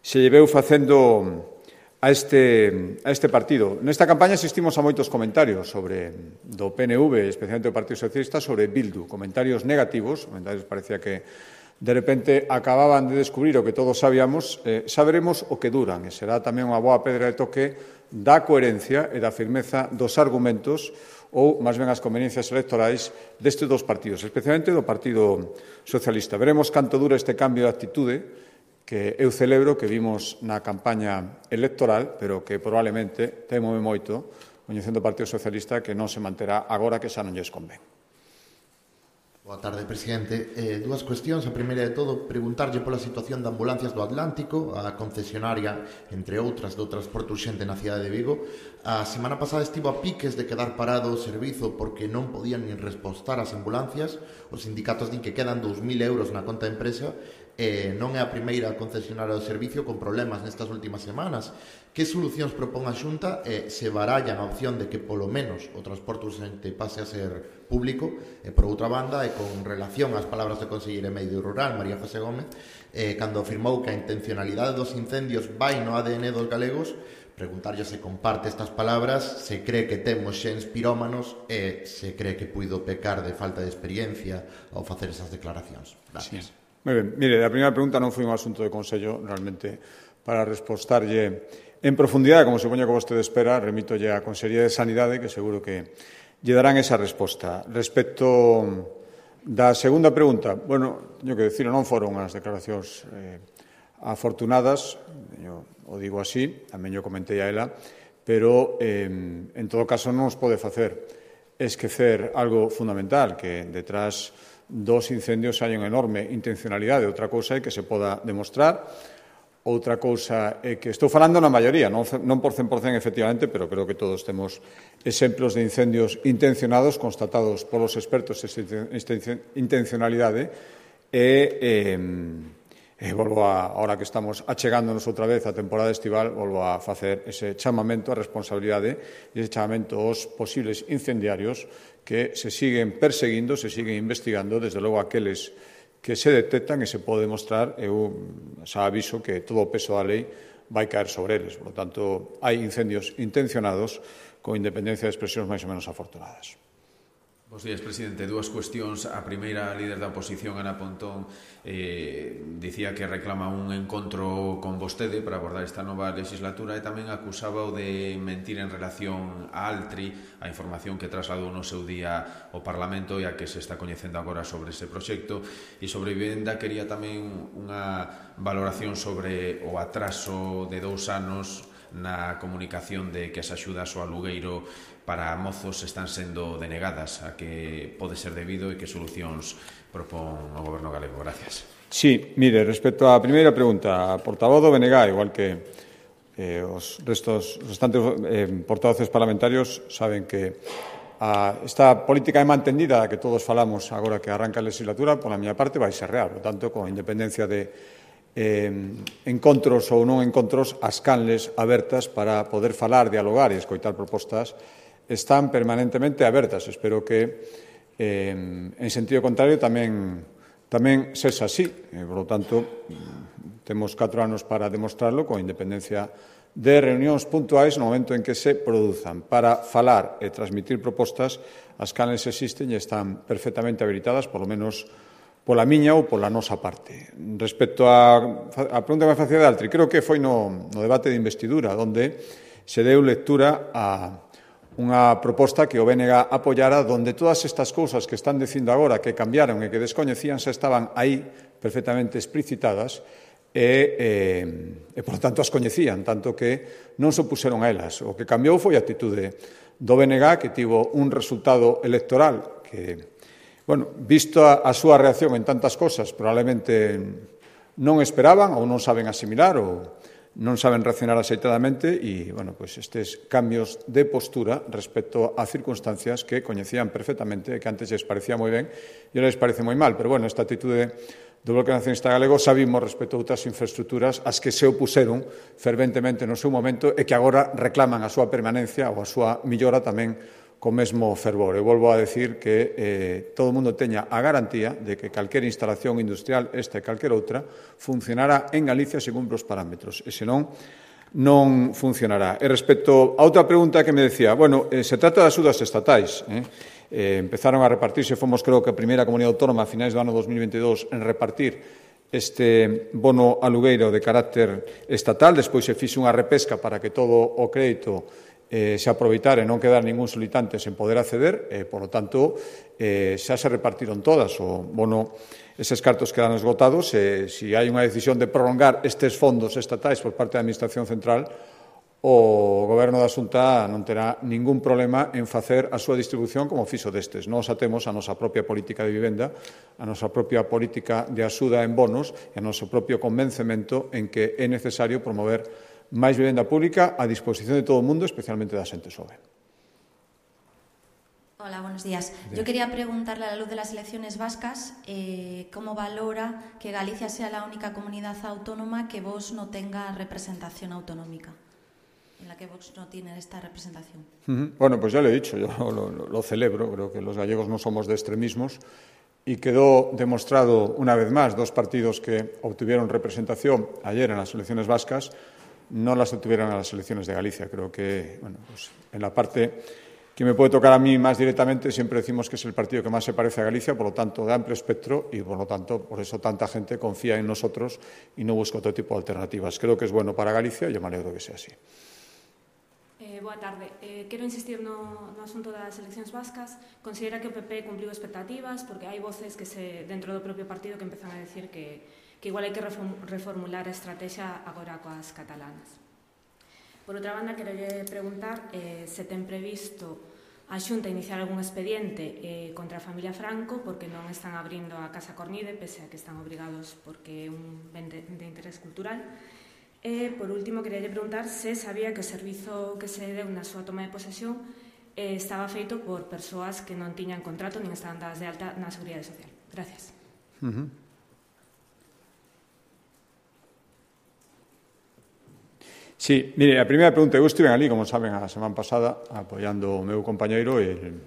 se lleveu facendo a este, a este partido. Nesta campaña asistimos a moitos comentarios sobre do P N V, especialmente do Partido Socialista, sobre Bildu, comentarios negativos, comentarios parecía que de repente acababan de descubrir o que todos sabíamos, eh, saberemos o que duran, e será tamén unha boa pedra de toque da coherencia e da firmeza dos argumentos ou, máis ben, as conveniencias electorais destes dos partidos, especialmente do Partido Socialista. Veremos canto dura este cambio de actitude que eu celebro que vimos na campaña electoral, pero que probablemente temome moito, coñecendo o Partido Socialista, que non se manterá agora que xa non lles convén. Boa tarde, presidente. Eh, dúas cuestións. A primeira de todo, preguntarlle pola situación de ambulancias do Atlántico, a concesionaria, entre outras, do transporte urxente na cidade de Vigo. A semana pasada estivo a piques de quedar parado o servizo porque non podían nin respostar as ambulancias. Os sindicatos din que quedan dous mil euros na conta de empresa. Eh, non é a primeira concesionaria do servicio con problemas nestas últimas semanas. Que solucións propón a Xunta e eh, se barallan a opción de que polo menos o transporte urxente pase a ser público? E por outra banda, e con relación ás palabras do conselleira de Medio Rural, María José Gómez, eh, cando afirmou que a intencionalidade dos incendios vai no A D N dos galegos, preguntarlle se comparte estas palabras, se cree que temos xens pirómanos e se cree que puido pecar de falta de experiencia ao facer esas declaracións. Gracias. Sí. Moi ben. Mire, a primeira pregunta non foi un asunto de Consello, realmente, para respostarlle en profundidade, como supoño que vostede espera, remítolle á Consellería de Sanidade, que seguro que lle darán esa resposta. Respecto Da segunda pregunta, bueno, teño que dicir, non foron as declaracións eh, afortunadas, eu o digo así, tamén eu comentei a ela, pero eh, en todo caso non os pode facer esquecer algo fundamental, que detrás dos incendios hai unha enorme intencionalidade. Outra cousa é que se poda demostrar, outra cousa é que estou falando na maioría, non, non por cen por cen efectivamente, pero creo que todos temos exemplos de incendios intencionados constatados polos expertos esta intencionalidade e, e, e volvo a, ahora que estamos achegándonos outra vez a temporada estival, volvo a facer ese chamamento a responsabilidade e ese chamamento aos posibles incendiarios que se siguen perseguindo, se siguen investigando, desde logo aqueles que se detectan e se pode demostrar, eu xa aviso que todo o peso da lei vai caer sobre eles. Por lo tanto, hai incendios intencionados con independencia de expresións máis ou menos afortunadas. Bos días, presidente. Dúas cuestións. A primeira, a líder da oposición, Ana Pontón, eh, dicía que reclama un encontro con vostede para abordar esta nova legislatura e tamén acusaba o de mentir en relación a Altri, a información que trasladou no seu día ao Parlamento e a que se está coñecendo agora sobre ese proxecto. E sobre vivenda quería tamén unha valoración sobre o atraso de dous anos na comunicación de que as axudas ao alugueiro para mozos están sendo denegadas, a que pode ser debido e que solucións propón o Goberno galego. Gracias. Sí, mire, respecto á primeira pregunta, a portavoz do B N G, igual que eh, os restos, os restantes eh, portavoces parlamentarios, saben que a, esta política é mantendida que todos falamos agora que arranca a legislatura, pola miña parte vai ser real, por tanto, con independencia de Eh, encontros ou non encontros, as canles abertas para poder falar, dialogar e escoitar propostas están permanentemente abertas. Espero que, eh, en sentido contrario, tamén, tamén sexa así. Eh, por lo tanto, temos catro anos para demostrarlo con independencia de reunións puntuais no momento en que se produzan. Para falar e transmitir propostas, as canles existen e están perfectamente habilitadas, polo menos pola miña ou pola nosa parte. Respecto á, á pregunta que me facía de Altri, creo que foi no, no debate de investidura, onde se deu lectura a unha proposta que o B N G apoiara, onde todas estas cousas que están dicindo agora que cambiaron e que descoñecían xa estaban aí perfectamente explicitadas e, e, e por tanto, as coñecían, tanto que non se opuseron a elas. O que cambiou foi a atitude do B N G, que tivo un resultado electoral que, bueno, visto a, a súa reacción en tantas cosas, probablemente non esperaban ou non saben asimilar ou non saben reaccionar axeitadamente e, bueno, pues estes cambios de postura respecto a circunstancias que coñecían perfectamente e que antes les parecía moi ben e ahora les parece moi mal. Pero, bueno, esta atitude do Bloque Nacionalista Galego sabimos respecto a outras infraestructuras as que se opuseron ferventemente no seu momento e que agora reclaman a súa permanencia ou a súa millora tamén co mesmo fervor. Eu volvo a decir que eh, todo o mundo teña a garantía de que calquera instalación industrial, esta e calquera outra, funcionará en Galicia se cumpre os parámetros. E senón, non funcionará. E respecto a outra pregunta que me decía, bueno, eh, se trata de axudas estatais. Eh? Eh, empezaron a repartirse, fomos creo que a primeira comunidade autónoma a finais do ano dos mil veintidós en repartir este bono alugueiro de carácter estatal, despois se fixe unha repesca para que todo o crédito eh, se aproveitara e non quedar ningún solicitante sen poder acceder, e, por lo tanto, eh, xa se repartiron todas. O bono, eses cartos quedan esgotados, e se hai unha decisión de prolongar estes fondos estatais por parte da Administración Central, o Goberno da Xunta non terá ningún problema en facer a súa distribución como fixo destes. Nós atemos a nosa propia política de vivenda, a nosa propia política de axuda en bonos e a noso propio convencemento en que é necesario promover máis vivenda pública a disposición de todo o mundo, especialmente da xente xoven. Hola, buenos días. Yo quería preguntarle a la luz de las elecciones vascas eh, cómo valora que Galicia sea la única comunidad autónoma que Vox no tenga representación autonómica, en la que Vox no tiene esta representación. Uh-huh. Bueno, pues ya lo he dicho, yo lo, lo, lo celebro, creo que los gallegos no somos de extremismos y quedó demostrado una vez más, dos partidos que obtuvieron representación ayer en las elecciones vascas no las obtuvieron en las elecciones de Galicia. Creo que, bueno, pues en la parte que me puede tocar a mí más directamente, siempre decimos que es el partido que más se parece a Galicia, por lo tanto, de amplio espectro, y por lo tanto, por eso tanta gente confía en nosotros y no busca otro tipo de alternativas. Creo que es bueno para Galicia y yo me alegro que sea así. Eh, Eh, boa tarde. Eh, quero insistir no, no asunto das eleccións vascas. Considera que o P P cumpliu expectativas, porque hai voces que se, dentro do propio partido que empezan a decir que, que igual hai que reformular a estrategia agora coas catalanas. Por outra banda, quero preguntar eh, se ten previsto a Xunta iniciar algún expediente eh, contra a familia Franco porque non están abrindo a Casa Cornide, pese a que están obrigados porque é un ben de, de interés cultural. E, por último, queria preguntar se sabía que o servizo que se deu na súa toma de posesión eh, estaba feito por persoas que non tiñan contrato nin estaban dadas de alta na Seguridade Social. Gracias. Uh-huh. Sí, mire, a primeira pregunta, eu estive ali, como saben, a semana pasada apoiando o meu compañeiro, el,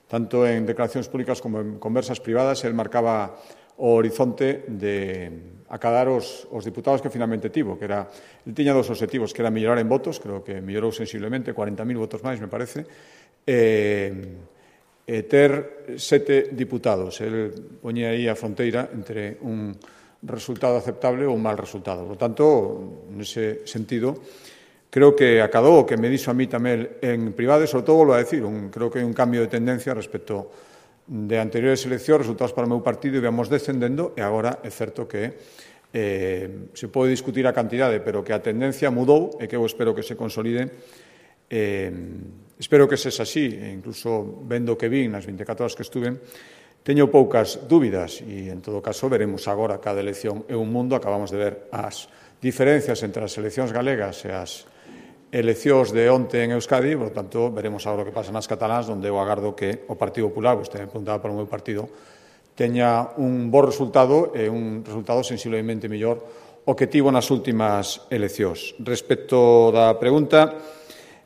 tanto en declaracións públicas como en conversas privadas, el marcaba o horizonte de acadar os, os diputados que finalmente tivo, que era, ele tiña dos objetivos, que era mellorar en votos, creo que mellorou sensiblemente, cuarenta mil votos máis, me parece, e, e ter sete diputados. El poñía aí a fronteira entre un resultado aceptable ou un mal resultado. Por tanto, nese sentido, creo que acadou o que me dixo a mí tamén en privado, e sobre todo, volvo a decir, un, creo que hai un cambio de tendencia respecto de anteriores eleccións, resultados para o meu partido, e íbamos descendendo, e agora é certo que eh, se pode discutir a cantidade, pero que a tendencia mudou e que eu espero que se consolide. Eh, espero que sexa así, e incluso vendo que vi nas veinticuatro horas que estuve, teño poucas dúbidas, e en todo caso veremos agora cada elección é un mundo. Acabamos de ver as diferencias entre as eleccións galegas e as eleccións de onte en Euskadi, por tanto, veremos agora o que pasa nas catalás, onde eu agardo que o Partido Popular, vostede me preguntaba para o meu partido, teña un bo resultado e un resultado sensiblemente mellor o que tivo nas últimas eleccións. Respecto da pregunta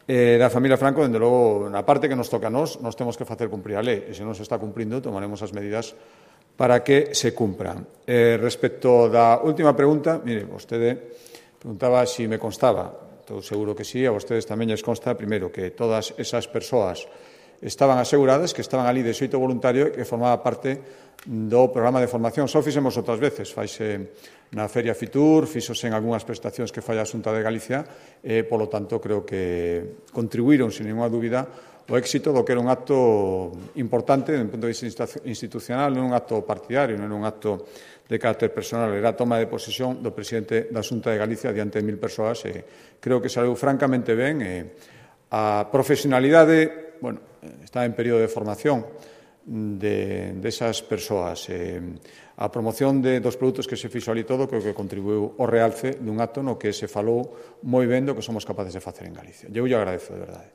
eh, da familia Franco, dende logo, na parte que nos toca a nós, nos temos que facer cumprir a lei, e se non se está cumprindo, tomaremos as medidas para que se cumpran. Eh, respecto da última pregunta, mire, vostede preguntaba se si me constaba. Estou seguro que sí, a vostedes tamén lles consta, primeiro, que todas esas persoas estaban aseguradas, que estaban ali de xeito voluntario e que formaba parte do programa de formación. Só fixemos outras veces, faise na Feria Fitur, fixose en algunhas prestacións que fai a Xunta de Galicia, e, polo tanto, creo que contribuíron, sin ninguna dúbida, o éxito do que era un acto importante, desde o punto de vista institucional, non un acto partidario, non un acto de carácter personal, era a toma de posesión do presidente da Xunta de Galicia diante de mil persoas, e creo que saiu francamente ben. E a profesionalidade, bueno, está en período de formación de, de esas persoas. E a promoción de, dos produtos que se fixo ali todo, creo que contribuiu ao realce dun acto no que se falou moi ben do que somos capaces de facer en Galicia. Eu lle agradezo, de verdade.